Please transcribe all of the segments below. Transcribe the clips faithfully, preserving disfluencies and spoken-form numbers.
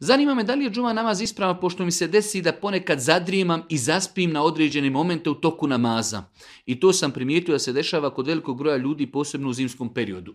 Zanima me da li je džuma namaz ispravan, pošto mi se desi da ponekad zadrijemam i zaspim na određene momente u toku namaza. I to sam primijetio da se dešava kod velikog broja ljudi, posebno u zimskom periodu.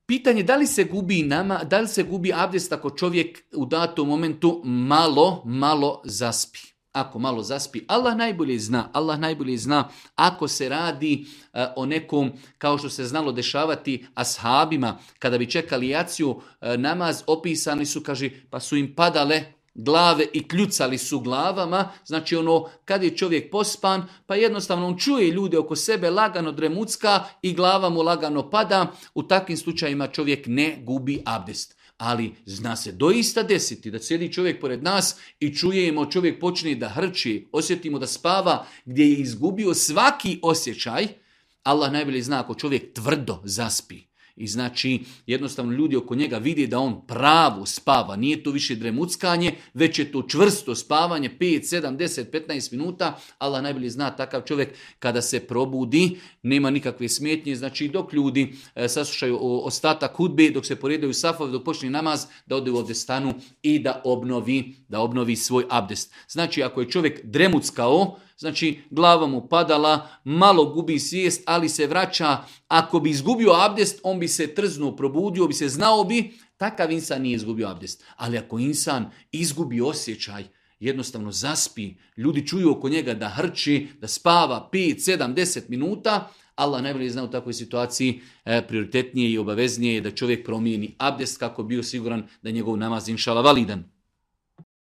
Pitanje da li se gubi nama, da li se gubi abdest ako čovjek u datom momentu malo, malo zaspi. Ako malo zaspi, Allah najbolje zna, Allah najbolje zna ako se radi uh, o nekom, kao što se znalo dešavati ashabima, kada bi čekali jaciju, uh, namaz opisani su, kaže, pa su im padale glave i kljucali su glavama, znači ono, kad je čovjek pospan, pa jednostavno on čuje ljude oko sebe, lagano dremucka i glava mu lagano pada, u takvim slučajima čovjek ne gubi abdest. Ali zna se doista desiti da sjedi čovjek pored nas i čujemo čovjek počne da hrči, osjetimo da spava gdje je izgubio svaki osjećaj. Allah najbolje zna ako čovjek tvrdo zaspi. I znači jednostavno ljudi oko njega vidi da on pravo spava, nije to više dremuckanje, već je to čvrsto spavanje, pet, sedam, deset, petnaest minuta. Allah najbolje zna takav čovjek kada se probudi, nema nikakve smetnje, znači dok ljudi e, saslušaju ostatak hudbe, dok se poredaju safovi, dok počne namaz, da ode u abdestanu i da obnovi, da obnovi svoj abdest. Znači ako je čovjek dremuckao, znači glava mu padala, malo gubi svijest, ali se vraća. Ako bi izgubio abdest, on bi se trznuo, probudio bi se, znao bi, takav insan nije izgubio abdest. Ali ako insan izgubi osjećaj, jednostavno zaspi, ljudi čuju oko njega da hrči, da spava pet, sedam, deset minuta, Allah najbolje zna u takvoj situaciji e, prioritetnije i obaveznije je da čovjek promijeni abdest kako bio siguran da je njegov namaz inšala validan.